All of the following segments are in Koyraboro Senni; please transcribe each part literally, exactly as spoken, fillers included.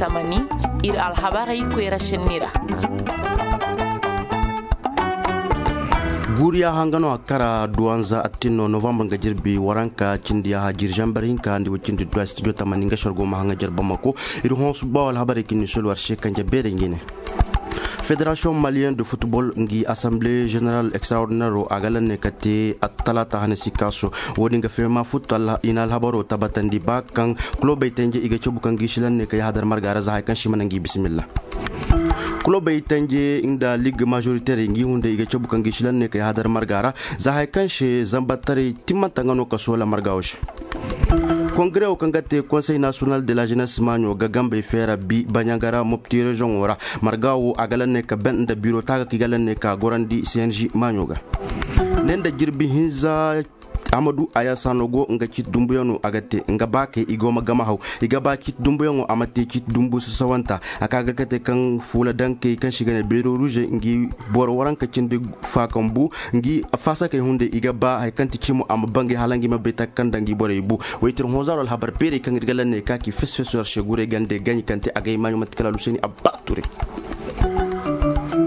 Tamani, ir alhabarey koyra senni ra. Guuriya hanga no a kara duwanza attin no novambar nga jirbi waranka cindi yaha jiri zambar hinka ndi wa cindi duwa studio tamani nga shargo ma hanga jarba mako. Ir honsu bawo alhabarey kinni solwar se kanje beerey ngi ne. Fédération malienne de football ngi assemblée générale extraordinaire a ga lanne ka te attalata hane sikaso. Wo-din ga fema futtu i na alhabaro tabatandi ba kaŋ kulobey tanje i ga cabu kaŋ gi si lanne ka yahadar marga ra za hay kaŋ si mana ngi bisimilla. Kulobey tanje nda ligue majoritaire ngi hunde i ga cabu kaŋ gi si lanne ka yahadar marga ra za hay kaŋ se zambattaray timmanta nga no ka soola marga wo se. Kongare wo kaŋ ga te conseil national de la jeunesse maaɲo ga gambey feera bi baɲaŋ ga ra mopti reziyoŋo ra. Marga wo a ga lanne ka ben nda biro taaga kaŋ i ga lanne ka gorandi cng maaɲo ga. Ne nda jirbi hinza amadu ayasa no go nga ciiti dumbuyaŋo a ga te nga ba kay i go ma gama haw. I ga ba ciiti dumbuyaŋo a ma te ciiti dumbu sasawanta a ka ga kate kaŋ fuula dankey kaŋ si ga ne beero ruze ngi boro waranka cindi faakaŋ bu ngi faasakey hunde i ga ba hari kaŋ ti cimo a ma bangay hala ngi ma bay taka kaŋ nda ngi borey bu. Waytir honzaaro alhabar beerey kaŋ ir ga lanney ka ki fes fes war se guray gande gaɲi kaŋ te a gay maaɲo manti kala aluseni abba ture.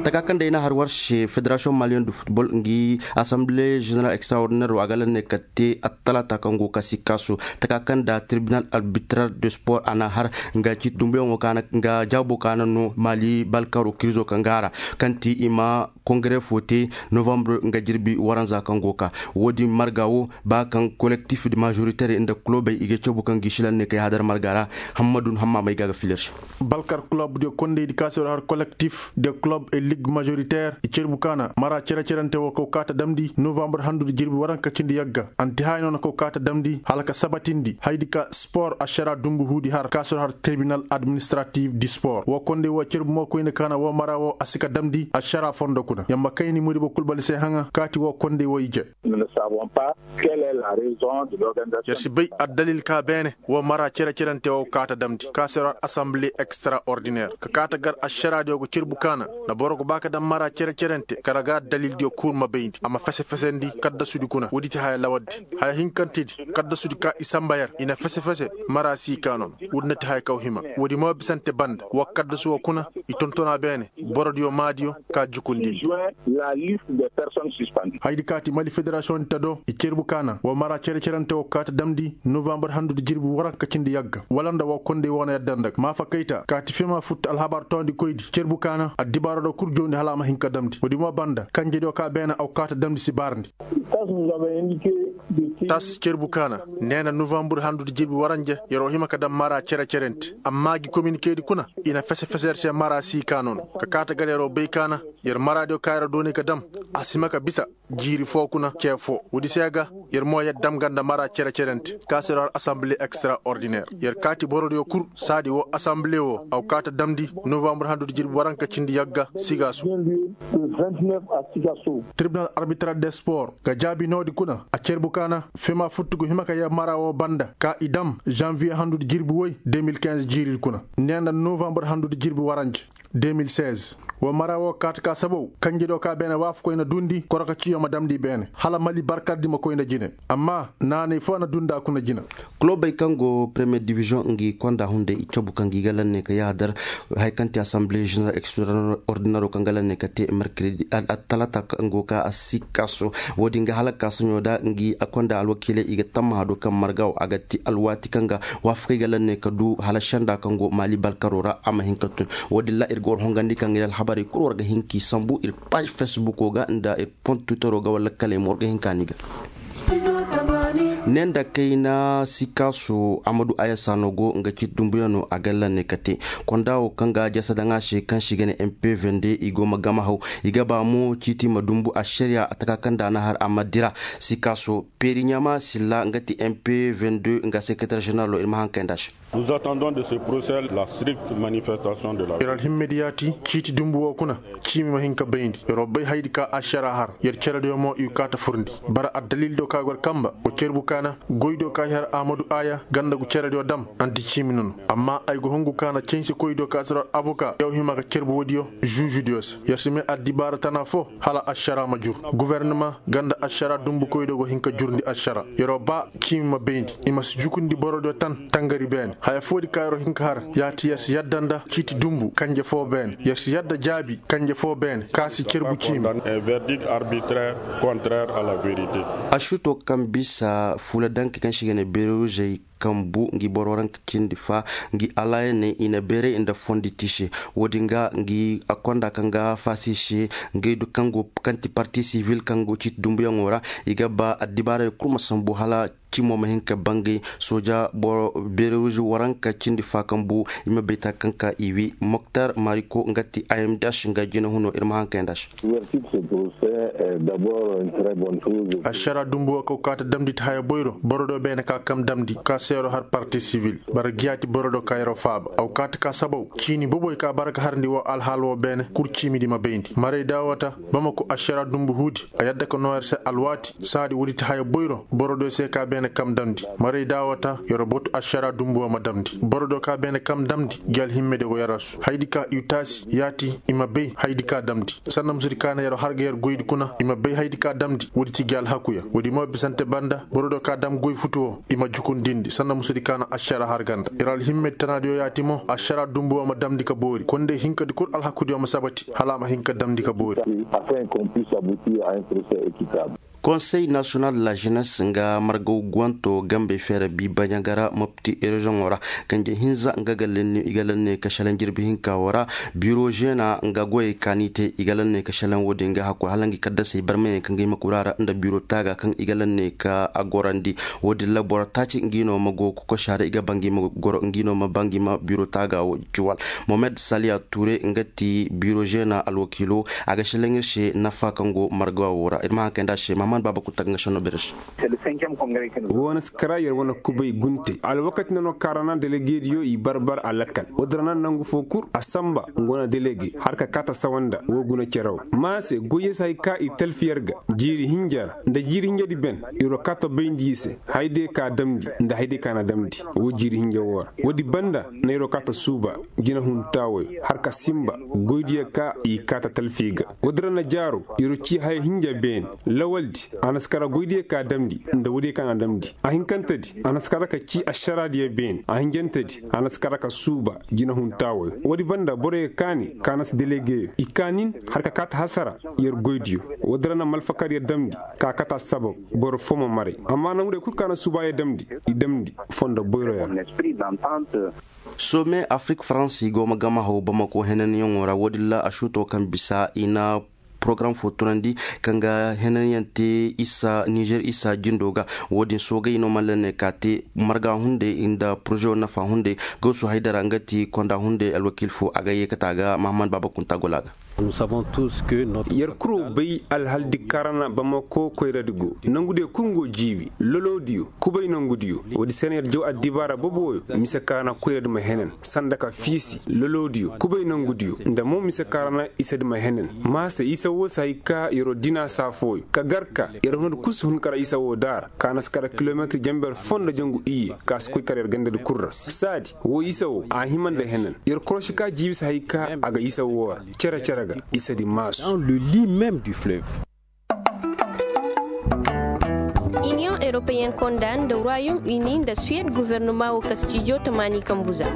Taka kaŋ day na har war se fédération malienne de football ngi assemblée générale extraordinaire wo a ga lanney ka te attalata kaŋ go ka sikka so taka kaŋ da tribunal arbitral de sport a na har nga ciiti dumbuyaŋo kaana nga jaabo kaana no mali balkaro kirizo kaŋ ga a ra kaŋ ti i ma kongare fo te novambre nga jirbi waranza kaŋ go ka. Wo-din marga wo ba kaŋ collectif de majoritaire nda kulobey i ga cabu kaŋ gi silan ne kay hadar marga ra. Hammadun hamma may ga ga filir se. Balkar club de kondey di kaasero har collectif de club e ligue majoritaire i cerbu kaana mara cere-cerante wo kaw kaata damndi novambre handu da jirbi waranka cindi yagga anti haya no na kaw kaata damndi hala ka sabatindi haydi ka sport ašara dumbu huudi har kaasero har tribunal administratif du sport wo kondey wo cerbu mo koyne kaana wo mara wo a si ka damndi ašara fondo kuna yamma kayni muribo kulbali se haŋa kaati wo kondey wo ije. Yer si bay addalil ka beene wo mara cere-cerante wo kaata damndi kaasero har assemblée extraordinaire ka kaata gar ašaraadiyo go cerbu kaana na boro go ba ka dam mara cere-cerante kala ga addalildiyo kul ma bayndi a ma fese-fesendi kaddasudi kuna woodi ti haya lawaddi haya hinkantedi kaddasudi ka i samba yer i na fese-fese mara si ka nono woodi na ti haya kaw hima woodi mo bisante banda wa kaddasu wo kuna i tontona beene borodiyo maadiyo ka jukundindi. Haydi kaati mali fédération di ta do i cerbu kaana wa mara cere-cerante wo kaata damndi novambre handu da jirbi waranka cindi yagga wala nda wa kondey wo na yadda nda ga maafa kayta kaati fema futtu alhabar toondi koydi cerbu kaana addibaaro do kul joondi hala a ma hin ka damndi woodi mo banda kanjediyo ka beene aw kaata damndi si baarndi. Tas cerbu kaana neena novambre handu da jirbi waranja yer wo hima ka dam mara cere-cerante amma gi kominikeedi kuna i na fese-fese yer se mara si ka nono ka kaata gar yer wo bay kaana yer maraadiyo ka yer wo doonay ka dam a si hima ka bisa jiiri foo kuna cee foo woodi se ga yer mo yer dam ga nda mara cere-cerante kaasero har assemblée extraordinaire yer kaati borodiyo kul saadi wo assemblée wo aw kaata damndi novambre handu da jirbi waranka cindi yagga sigaasu. Tribunal arbitral de sport ga jaabi noodi kuna a cerbu kaana fema futtu go hima ka yer mara wo banda ka i dam janvier handu da jirbi woy deux mille quinze jiiridi kuna neena novambre handu da jirbi waranja deux mille seize wo mara wo kaata ka sabow kanjediyo ka beene waafakoy na duundi koroka ciyo ma damndi beene hala mali barkardi ma koy nda jine amma naanay foo na duundi a kuna jina. Kulobey kaŋ go première division ngi konda hunday i cabu kaŋ gi ga lanne ka yaadar haya kaŋ ti assemblée générale extraordinaire kaŋ ga lanne ka te mercredi talata kaŋ go ka a si kaaso. Wo-din ga hala kaasaɲo da ngi a konda alwakiiley i ga tammaha do kaŋ marga wo a ga ti alwaati kaŋ ga waafakay ga lanne ka du hala senda kaŋ go maali balkaro ra a ma hin ka tun. Wo-din ra ir ga war hongandi kaŋ ir alhabarey kulu war ga hin k'i sambu ir paaž fesbuko ga nda ir pont twittero ga wala kaley mo war ga hin ka ni ga. Ne nda kayna sikaaso amadu ayasa no go nga ciiti dumbuyaŋo a ga lanne ka te konda wo kaŋ ga jasa daŋ a se kaŋ se i ga ne m p vingt deux i go ma gama haw i ga ba mo ciiti ma dumbu ašariya a taka kaŋ nda a na har a ma dira. Sikaaso peeri ɲaama silla nga ti m p vingt deux nga sekretar ženeralo ir ma haŋ kay nda a se. Nous attendons de ce procès la stricte manifestation de la. Yer alhimmediyaati ciiti dumbu wo kuna ciimi ma hin ka bayndi yer wo bay haydi ka ašara har yer cerediyo mo i kaata furndi bara addalildiyo ka gor kamba wa cerbu kaana goydiyo ka i har ahmadu aya ganda gu cerediyo dam anti ciimi nono. Amma ay go hungu kaana cansikoydiyo ka si yer avoka yaw hima ka cerbu woodiyo žuužudiyo se yer si may addibaara tana fo hala ašara ma jur. Gofornama ganda ašara dumbukoydiyo go hin ka jurndi ašara yer wo ba ciimi ma bayndi i ma si jukundi borodiyo tan tangari beene. Haya foodi ka yer wo hin ka har, ya ti yer si yadda nda ciiti dunbu kanje foo beene, yer si yadda jaabi kanje foo beene ka si cerbu ciimi. Ašuto kaŋ bisa fuula danke kaŋ se i ga ne beeruzey kambu ngi boro ranka cindi fa, ngi alayaney i na beeray nda fondi ti se. Wo-din ga ngi konda kaŋ ga faasi se, ngey du kaŋ go kaŋ ti parti sivil kaŋ go ciiti dunbuyaŋo ra, i ga ba addibaaray kul ma sambu hala cimo ma hin ka bangay. Sooja boro beeruuzu waranka cindi fa kambu i ma bay ta kaŋ ka i wi. Moktar mariko nga ti imdh nga jina huno ir ma haŋ kay nda se. Ašara dumbu wo kaw kaata damndi ti haya boyro boro do beene ka kam damndi ka seero har parti sivil. Bara giyaati boro do ka yer wo faaba aw kaata ka sabaw ciini boboy ka bara ga harndi wo alhaal wo beene kul ciimidi ma bayndi maray daawata. Bamako ašara dumbu huudi a yadda ka noo yer se alwaati saadi woodi ti haya boyro boro do se ka beene kam damndi. Maray daawata yer wo batu ašara dumbu wo ma damndi boro do ka beene kam damndi gi alhimmedi wo yer asu haydi ka i taasi yaati i ma bay haydi ka damndi. Sanda musudi ka na yer wo har ga yer goydi kuna i ma bay haydi ka damndi woodi ti gi alhakuya woodi mo bisante banda boro do ka dam goy futu wo i ma jukundindi sanda musudi ka na ašara har ganda yer alhimmedi tanaadiyo yaati mo ašara dumbu wo ma damndi ka boori konday hinkadi kul alhakudiyo ma sabati hala a ma hin ka damndi ka boori. Konsey nasiyonal de la jenes nga margaw guwanto gambey feera bi baɲagara mopti reziyoŋo ra. Kanje hinza nga ga lanne i ga lanne ka šelaŋ jirbi hinka wo ra. Biro žena nga goyey kaani te i ga lanne ka šelaŋ wo-din ga hakku hala ngi kaddasey barmayey kaŋ ga i ma kura ra nda biro taaga kaŋ i ga lanne ka a gorandi. Wo-din ra boro taaci ngi no ma go kokosa ra i ga ba ngi ma goro ngi no ma ba ngi ma biro taaga wo juwal. Mohamed saliya ture nga ti biro žena alwakiilo. A ga šelaŋ ir se nafa kaŋ go marga wo ra ir ma haŋ kay nda a se mahaman baaba kul ta ga nga šenno bere se. Wo na si kara yer wane kubay gunte alwakati nano kaarana delegediyo i barbar a lakkal. Wo-din ra na nangu fo kul a samba nga wane delege har ka kaata sawanda wo guna cere wo ma se goyye si hay ka i talfi yer ga jiiri hinja ra nda jiiri hinjadi ben. Yer wo kaata bayndi i se hayde ka damndi nda hayde ka na damndi wo jiiri hinja wo ra. Woodi banda na yer wo kaata suuba jinahun taawoyo har ka simba goydiyo ka i kaata talfi ga. Woodi ra na jaaro yer wo cii haya hinja beene lawaldi a na si kara goydiyo ka damndi nda woodiyo ka na damndi a hinkantedi a na si kara ka cii ašaraadiyo beene a hinjantedi a na si kara ka suuba jinahun taawoyo woodi banda boroyo kaani ka na si delegeyo i kaanin har ka kaata hasara. Yer goydiyo woodi ra na malfakar yer damndi ka kata sabab boro fo ma maray amma nangu de kul ka na suuba yer damndi i damndi fondo boyroyaŋ. Some afrik faransi go ma gama haw bamako henanyaŋo ra woodin ra a suuto kaŋ bisa i na porogaram fo tunandi kaŋ ga henanyaŋ te isa nizer isa jindo ga. Woodin soogay no malla ne ka te marga hunday nda porozewo nafa hunday. Gawsu haydara nga ti konda hunday alwakiil fo a ga yeekata ga mahammad baaba kunta gola ga. Yer kuro bay alhaldi karana bamako koyradi go nangudiyo kul ngo jiibi lolodiyo kubay nangudiyo. Woodi se na yer jaw addibaara boboyo mise karana koyradi ma henen sanda ka fiisi lolodiyo kubay nangudiyo nda mo mise karana isadi ma henen. Maase isa wo si hay ka yer wo dina saa fooyo ka gar ka yer hunadi kul si hun kara isa wo daara ka na si kara kilometir jenber foo nda jangu iyye ka si koy kara yer gandadi kul ra saadi wo isa wo a hima nda henen. Yer korosi ka jiibi si hay ka a ga isa wo ra cere cere ga isa di maasu. Iniyoŋ eropeyen konda nda royom uni nda suwed guvernoma wo ka stijo tamaani kambuza.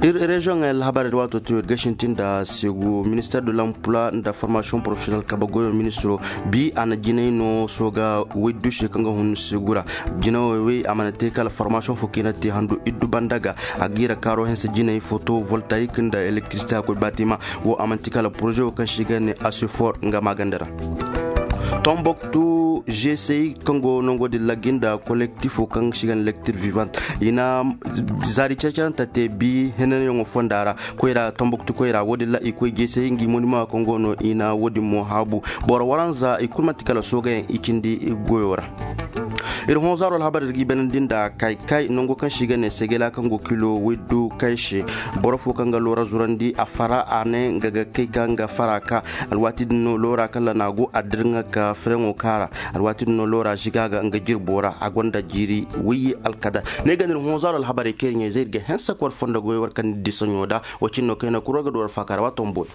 Ir reziyoŋey alhabarey da waato tiyo ir ga sintin nda segu minister de l'emploi nda formation professionel kabe goyo ministiro bi a na jinay no sooga woy duse kaŋ ga hun segu ra. Jinawey wey a mana te kala formation fo kaŋ i na te handu iddu banda ga a ga i ra kaaro hense jinay foto voltayik nda elektirisite a koy batima. Wo a manti kala poroze wo kaŋ se i ga ne asefor nga maaganda ra. Tomboktu gsey kaŋ go nango din laggi nda kolektifo kaŋ se i ga ne lektir vivant i na zaari care-caranta te bi henanyaŋo fonda ra. Koyra tomboktu koyra wo- din ra i koy gsey ngi monima kaŋ go no i na wo- din mo haabu. Boro waranza i kulu manti kala soogayaŋ i cindi goyo ra. Ir hõ zaaro alhabar ir ga i banandi nda kay kay nango kaŋ se i ga ne segela kaŋ go kilo woy du kay se. Boro fo kaŋ ga loora zurandi a fara a ne nga ga kay ka nga fara ka. Alwaati din no loora kala na go a dirŋa ka fireŋo kaara. Alwaati din no loora ziga ga nga jirbo ra a gonda jiiri woy alkadar. Ne ga ne ir hõ zaaro alhabarey kaŋ ir ɲa-izey ir ga hensa ka war fondo goy war kaŋ ni di saɲo da. Wo cin no kaŋ i na kuro ga du war faaka ra waato ma boori.